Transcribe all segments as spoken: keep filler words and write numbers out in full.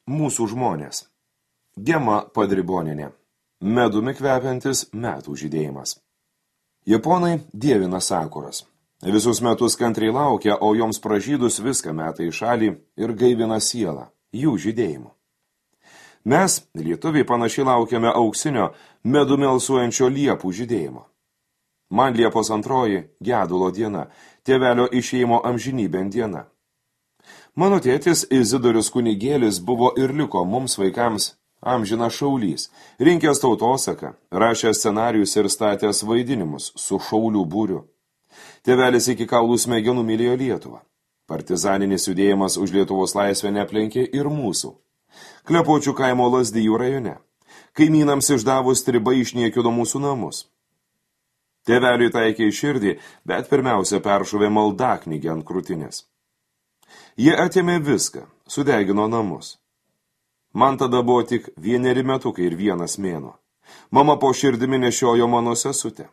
Mūsų žmonės. Gema Padribonienė. Medumi kvepiantis metų žydėjimas. Japonai dievina sakuras. Visus metus kantriai laukia, o joms pražydus viską meta į šalį ir gaivina sielą, jų žydėjimu. Mes, lietuviai, panašiai laukiame auksinio, medumi alsuojančio liepų žydėjimo. Man Liepos antroji gedulo diena, tėvelio išėjimo amžinybėn diena. Mano tėtis Izidorius kunigėlis buvo ir liko mums vaikams amžina šaulys, rinkęs tautosaką, rašęs scenarius ir statęs vaidinimus su šaulių būriu. Tėvelis iki kaulų smegenų mylėjo Lietuvą. Partizaninis judėjimas už Lietuvos laisvę neplenkė ir mūsų. Klepočių kaimo Lazdijų rajone. Kaimynams išdavus stribai išniekino mūsų namus. Tėveliui taikė į širdį, bet pirmiausia peršuvė maldaknygę ant krūtinės. Jie atėmė viską, sudegino namus. Man tada buvo tik vieneri metukai ir vienas mėnuo. Mama po širdimi nešiojo mano sesutę.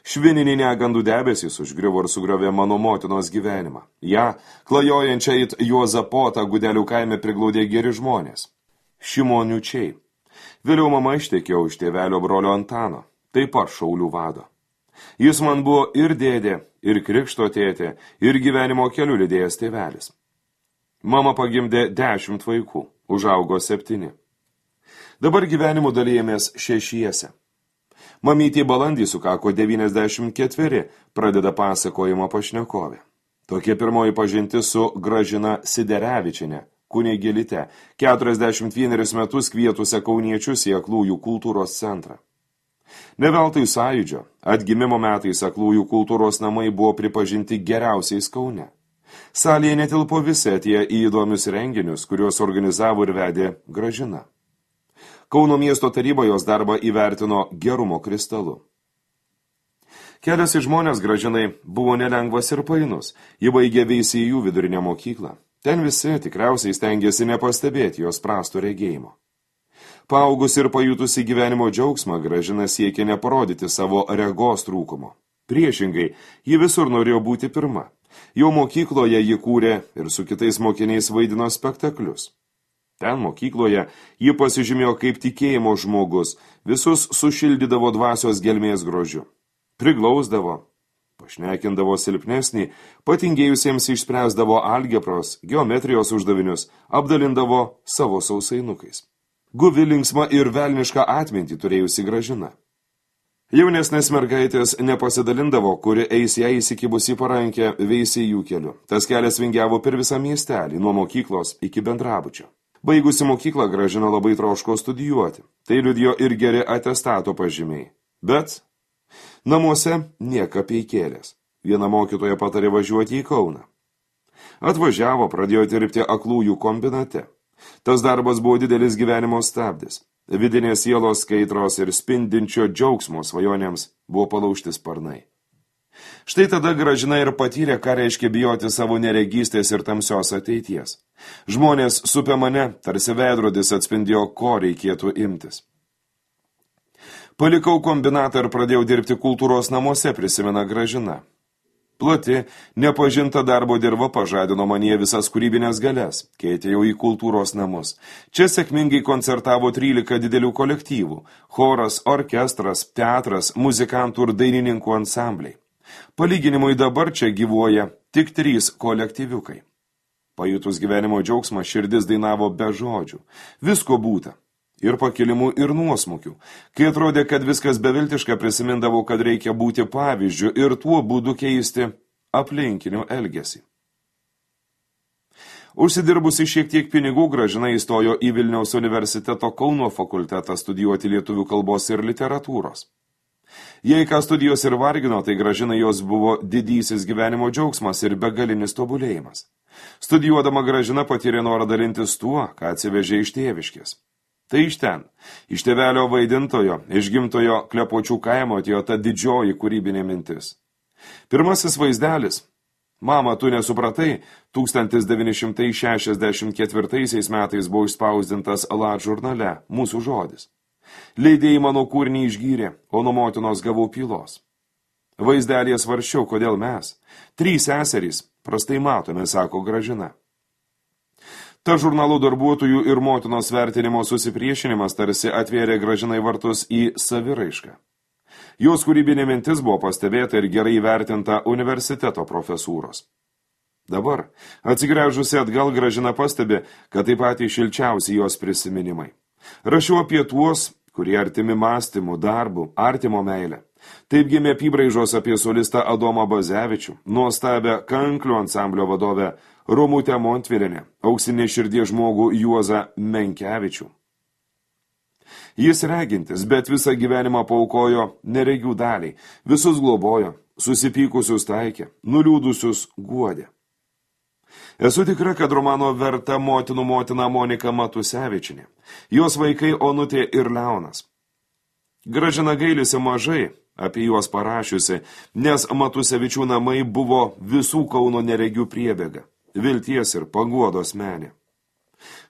Švininį negandų debesys užgriuvo ir sugriovė mano motinos gyvenimą. Ja, klajojančią it Juozapotą Gudelių kaime priglaudė geri žmonės. Šimoniučiai. Vėliau mama ištekėjo už tėvelio brolio Antano, taip pat šaulių vado. Jis man buvo ir dėdė, ir krikšto tėtė, ir gyvenimo keliu lydėjęs tėvelis. Mama pagimdė dešimt vaikų, užaugo septyni. Dabar gyvenimu dalijamės šešiese. Mamytė balandį sukako devyniasdešimt ketveri, pradeda pasakojimo pašnekovė. Tokia pirmoji pažintis su Gražina Siderevičienė, kunigėlyte, keturiasdešimt vienerius metus kvietusią kauniečius į Aklųjų kultūros centrą. Ne veltui Sąjūdžio, atgimimo metais Aklųjų kultūros namai buvo pripažinti geriausiais Kaune. Salėje netilpo visi atėję į įdomius renginius, kuriuos organizavo ir vedė Gražina. Kauno miesto taryba jos darbą įvertino gerumo kristalu. Kelias į žmonės Gražinai buvo nelengvas ir painus. Ji baigė Veisiejų vidurinę mokyklą. Ten visi tikriausiai stengėsi nepastebėti jos prasto regėjimo. Paaugus ir pajutusi gyvenimo džiaugsmą, Gražina siekė neparodyti savo regos trūkumo. Priešingai, ji visur norėjo būti pirma. Jau mokykloje ji kūrė ir su kitais mokiniais vaidino spektaklius. Ten mokykloje ji pasižymėjo kaip tikėjimo žmogus, visus sušildydavo dvasios gelmės grožiu. Priglausdavo, pašnekindavo silpnesnį, patingėjusiems išspręsdavo algebros, geometrijos uždavinius, apdalindavo savo sausainukais. Guvi linksma ir velnišką atmintį turėjusi Gražina. Jaunesnės mergaitės nepasidalindavo, kuri eis ją įsikibus į parankę Veisiejų keliu. Tas kelias vingiavo per visą miestelį, nuo mokyklos iki bendrabučio. Baigusi mokyklą Gražina labai troško studijuoti. Tai liudijo ir geri atestato pažymiai. Bet namuose nieka peikėlės. Viena mokytoja patarė važiuoti į Kauną. Atvažiavo, pradėjo dirbti Aklųjų kombinate. Tas darbas buvo didelis gyvenimo stabdis. Vidinės sielos skaitros ir spindinčio džiaugsmo svajonėms buvo palaužti sparnai. Štai tada Gražina ir patyrė, ką reiškia bijoti savo neregystės ir tamsios ateities. Žmonės supė mane, tarsi veidrodis atspindėjo, ko reikėtų imtis. Palikau kombinatą ir pradėjau dirbti kultūros namuose, prisimena Gražina. Plati, nepažinta darbo dirva pažadino manyje visas kūrybinės galias, kai atėjau į kultūros namus. Čia sėkmingai koncertavo trylika didelių kolektyvų – choras, orkestras, teatras, muzikantų ir dainininkų ansambliai. Palyginimui dabar čia gyvuoja tik trys kolektyviukai. Pajutus gyvenimo džiaugsmą, širdis dainavo be žodžių. Visko būta. Ir pakilimų, ir nuosmukių. Kai atrodė, kad viskas beviltiška, prisimindavau, kad reikia būti pavyzdžiu ir tuo būdu keisti aplinkinių elgesį. Užsidirbusi šiek tiek pinigų, Gražina įstojo į Vilniaus universiteto Kauno fakultetą studijuoti lietuvių kalbos ir literatūros. Jei ką studijos ir vargino, tai Gražinai jos buvo didysis gyvenimo džiaugsmas ir begalinis tobulėjimas. Studijuodama Gražina patyrė norą dalintis tuo, ką atsivežė iš tėviškės. Tai iš ten, iš tėvelio vaidintojo, iš gimtojo Klepočių kaimo atėjo ta didžioji kūrybinė mintis. Pirmasis vaizdelis, mama, tu nesupratai, tūkstantis devyni šimtai šešiasdešimt ketvirtaisiais metais buvo išspausdintas Lat žurnale, mūsų žodis. Leidėjai mano kūrinį išgyrė, o nuo motinos gavau pylos. Vaizdelėje svarsčiau, kodėl mes, trys seserys, prastai matome, sako Gražina. Ta žurnalų darbuotojų ir motinos vertinimo susipriešinimas tarsi atvėrė Gražinai vartus į saviraišką. Jos kūrybinė mintis buvo pastebėta ir gerai įvertinta universiteto profesūros. Dabar, atsigręžusi atgal, Gražina pastebi, kad taip pat šilčiausi jos prisiminimai. Rašiau apie tuos, kurie artimi mąstymų, darbų, artimo meilę. Taip gimė apybraižos apie solistą Adomą Bazevičių, nuostabę kanklių ansamblio vadovę Romutę Montvilienę, auksinį širdies žmogų Juozą Menkevičių. Jis regintis, bet visą gyvenimą paukojo neregių daliai, visus globojo, susipykusius taikė, nuliūdusius guodė. Esu tikra, kad romano verta motinų motina Monika Matusevičinė, jos vaikai Onutė ir Leonas. Gražina gailisi mažai apie juos parašiusi, nes Matusevičių namai buvo visų Kauno neregių priebėga, vilties ir paguodos menė.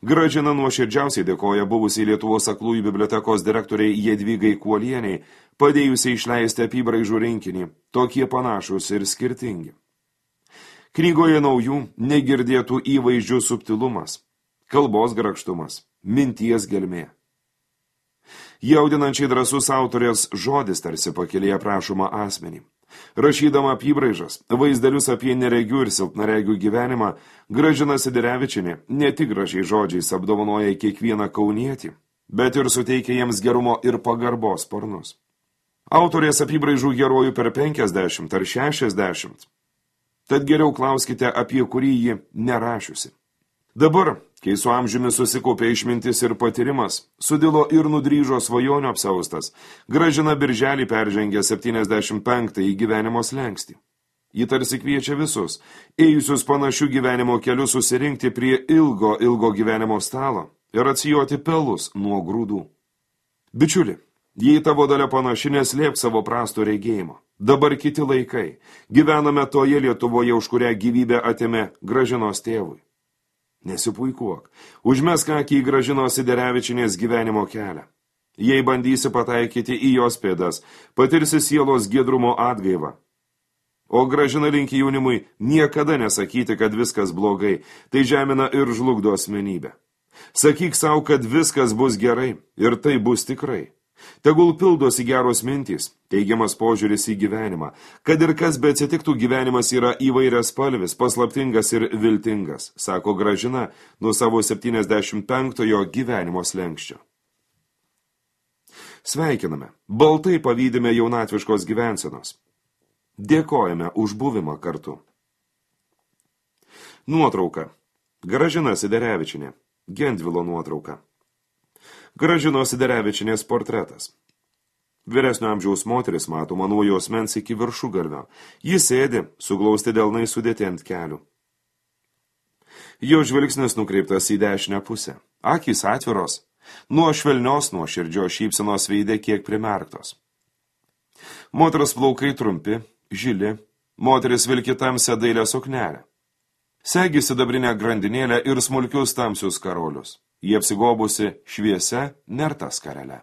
Gražina nuoširdžiausiai dėkoja buvusiai Lietuvos aklųjų bibliotekos direktoriai Jadvygai Kuolieniai, padėjusiai išleisti apybraižų rinkinį, tokie panašus ir skirtingi. Knygoje naujų, negirdėtų įvaizdžių subtilumas, kalbos grakštumas, minties gelmė. Jaudinančiai drąsus autorės žodis tarsi pakėlė aprašomą asmenį. Rašydama apybraižas, vaizdelius apie neregių ir silpnaregių gyvenimą, Gražina Siderevičienė ne tik gražiai žodžiais apdovanoja kiekvieną kaunietį, bet ir suteikia jiems gerumo ir pagarbos sparnus. Autorės apybraižų herojų per penkiasdešimt ar šešiasdešimt. Tad geriau klauskite, apie kurį ji nerašiusi. Dabar, kai su amžiumi susikaupė išmintis ir patyrimas, sudilo ir nudryžo svajonių apsaustas, Gražina birželį peržengė septyniasdešimt penktąjį gyvenimo slenkstį. Ji tarsi kviečia visus, ėjusius panašių gyvenimo kelių susirinkti prie ilgo, ilgo gyvenimo stalo ir atsijoti pelus nuo grūdų. Bičiuli, jei tavo dalia panaši, neslėp savo prasto regėjimo. Dabar kiti laikai. Gyvename toje Lietuvoje, už kurią gyvybę atėmė Gražinos tėvui. Nesipuikuok. Užmesk akį į Gražinos Siderevičienės gyvenimo kelią. Jei bandysi pataikyti į jos pėdas, patirsi sielos giedrumo atgaivą. O Gražina linki jaunimui niekada nesakyti, kad viskas blogai, tai žemina ir žlugdo asmenybę. Sakyk savo, kad viskas bus gerai ir tai bus tikrai. Tegul pildosi geros mintys, teigiamas požiūris į gyvenimą, kad ir kas be atsitiktų, gyvenimas yra įvairias spalvis, paslaptingas ir viltingas, sako Gražina nuo savo septyniasdešimt penktojo gyvenimo slenkščio. Sveikiname, baltai pavydime jaunatviškos gyvensenos. Dėkojame už buvimą kartu. Nuotrauka. Gražina Siderevičienė. Gendvilo nuotrauka. Gražinos Siderevičienės portretas. Vyresnio amžiaus moteris matoma nuo jos mens iki viršugalvio. Jis sėdi, suglausti delnai sudėti ant kelių. Jo žvilgsnis nukreiptas į dešinę pusę. Akys atviros, nuo švelnios nuo širdžio šypsenos veide kiek primerktos. Moters plaukai trumpi, žili, moteris vilki tamsią dailią suknelę. Segi sidabrinę grandinėlę ir smulkius tamsius karolius. Jie apsigobusi šviesia nerta skarele.